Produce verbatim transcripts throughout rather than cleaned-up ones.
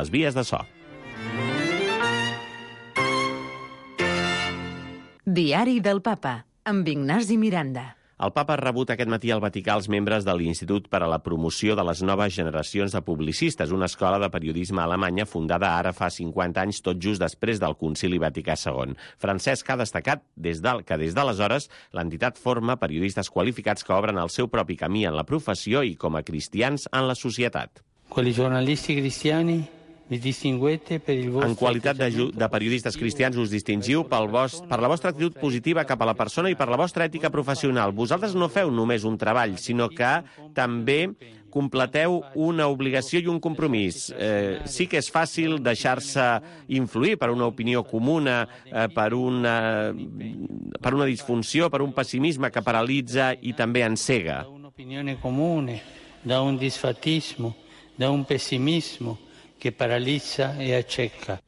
les vies de so. Diari del Papa, amb Ignasi Miranda. El papa ha rebut aquest matí al Vaticà els membres de l'Institut per a la Promoció de les Noves Generacions de Publicistes, una escola de periodisme alemanya fundada ara fa cinquanta anys, tot just després del Concili Vaticà segon. Francesc ha destacat des del, que des d'aleshores l'entitat forma periodistes qualificats que obren el seu propi camí en la professió i com a cristians en la societat. Quelli giornalisti cristiani En qualitat de, de periodistes cristians us distingiu pel vostre, per la vostra actitud positiva cap a la persona i per la vostra ètica professional. Vosaltres no feu només un treball, sinó que també completeu una obligació i un compromís. Eh, sí que és fàcil deixar-se influir per una opinió comuna, eh, per, una, per una disfunció, per un pessimisme que paralitza i també encega. Da un'opinione comune, da un disfatismo, da un pessimismo que paralitza i acceca.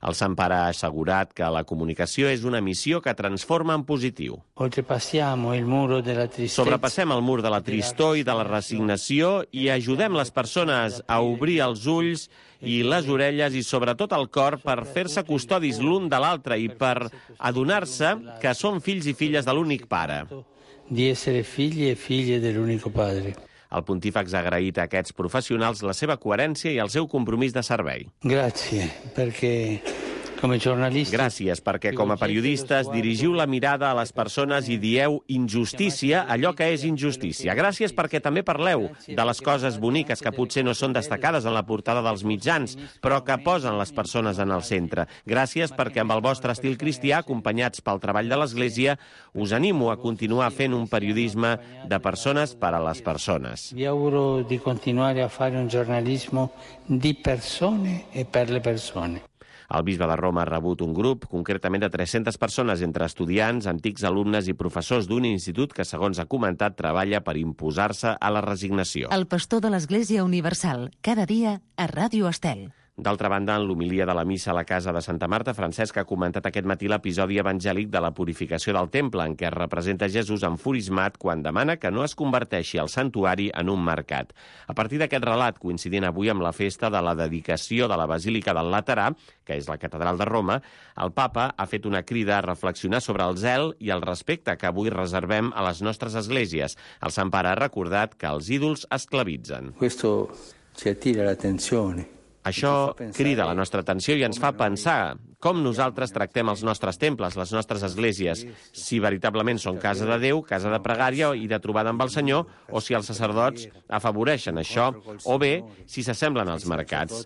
El Sant Pare ha assegurat que la comunicació és una missió que transforma en positiu. Oltrepassiamo il muro della tristezza. Sobrepassem el mur de la tristor i de la resignació i ajudem les persones a obrir els ulls i les orelles i sobretot el cor per fer-se custodis l'un de l'altre i per adonar-se que són fills i filles de l'únic pare. Di essere figli e figlie dell'unico padre. El pontífex ha agraït a aquests professionals la seva coherència i el seu compromís de servei. Gràcies, perquè com a jornalistes... Gràcies, perquè com a periodistes dirigiu la mirada a les persones i dieu injustícia allò que és injustícia. Gràcies perquè també parleu de les coses boniques que potser no són destacades en la portada dels mitjans, però que posen les persones en el centre. Gràcies perquè amb el vostre estil cristià, acompanyats pel treball de l'Església, us animo a continuar fent un periodisme de persones per a les persones. Vi auguro di continuare a fare un giornalismo di persone e per le persone. El bisbe de Roma ha rebut un grup, concretament de tres-centes persones, entre estudiants, antics alumnes i professors d'un institut que, segons ha comentat, treballa per imposar-se a la resignació. El pastor de l'Església Universal, cada dia a Ràdio Estel. D'altra banda, en l'homilia de la missa a la casa de Santa Marta, Francesc ha comentat aquest matí l'episodi evangèlic de la purificació del temple, en què es representa Jesús enfurismat quan demana que no es converteixi el santuari en un mercat. A partir d'aquest relat, coincidint avui amb la festa de la dedicació de la Basílica del Laterà, que és la catedral de Roma, el papa ha fet una crida a reflexionar sobre el zel i el respecte que avui reservem a les nostres esglésies. El Sant Pare ha recordat que els ídols esclavitzen. Questo ci attira l'attenzione. Això crida la nostra atenció i ens fa pensar com nosaltres tractem els nostres temples, les nostres esglésies, si veritablement són casa de Déu, casa de pregària i de trobada amb el Senyor, o si els sacerdots afavoreixen això, o bé si s'assemblen als mercats.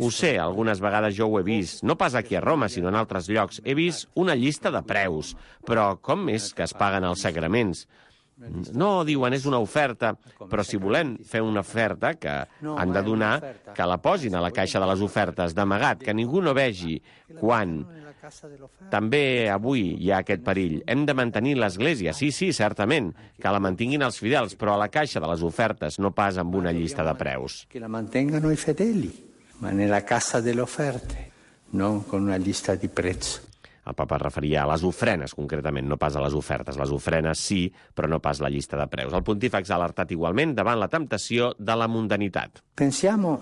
Ho sé, algunes vegades jo ho he vist, no pas aquí a Roma, sinó en altres llocs. He vist una llista de preus, però com és que es paguen els sagraments? No, diuen, és una oferta, però si volem fer una oferta que han de donar, que la posin a la caixa de les ofertes, d'amagat, que ningú no vegi quan. També avui hi ha aquest perill. Hem de mantenir l'Església, sí, sí, certament, que la mantinguin els fidels, però a la caixa de les ofertes, no pas amb una llista de preus. Que la mantengano i fedeli, ma nella cassa delle offerte, no con una lista di prezzo. El papa es referia a les ofrenes, concretament, no pas a les ofertes. Les ofrenes sí, però no pas la llista de preus. El pontífex ha alertat igualment davant la temptació de la mundanitat. Pensiamo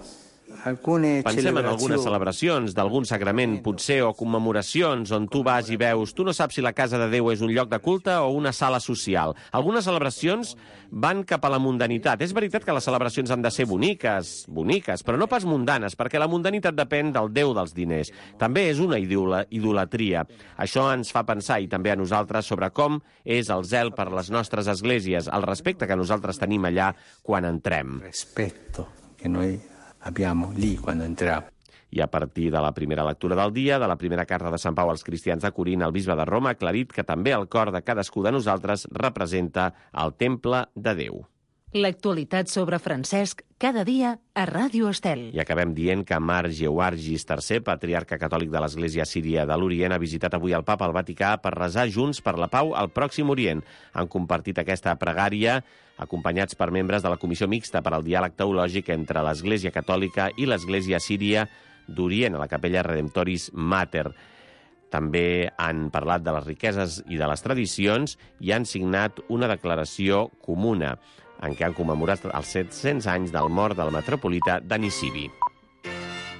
Pensem en algunes celebracions d'algun sagrament, potser, o commemoracions on tu vas i veus, tu no saps si la casa de Déu és un lloc de culte o una sala social. Algunes celebracions van cap a la mundanitat. És veritat que les celebracions han de ser boniques, boniques, però no pas mundanes, perquè la mundanitat depèn del Déu dels diners. També és una idolatria. Això ens fa pensar, i també a nosaltres, sobre com és el zel per les nostres esglésies, el respecte que nosaltres tenim allà quan entrem. Respecto que noi abbiamo lì quando entriamo. I a partir de la primera lectura del dia, de la primera carta de Sant Pau als cristians de Corint, el bisbe de Roma ha aclarit que també el cor de cadascú de nosaltres representa el temple de Déu. L'actualitat sobre Francesc, cada dia a Ràdio Estel. I acabem dient que Mar Georgis tercer, patriarca catòlic de l'Església Síria de l'Orient, ha visitat avui el Papa al Vaticà per resar junts per la pau al Pròxim Orient. Han compartit aquesta pregària acompanyats per membres de la Comissió Mixta per al Diàleg Teològic entre l'Església Catòlica i l'Església Síria d'Orient, a la Capella Redemptoris Mater. També han parlat de les riqueses i de les tradicions i han signat una declaració comuna en què han commemorat els set-cents anys del mort del metropolita de Nisibi.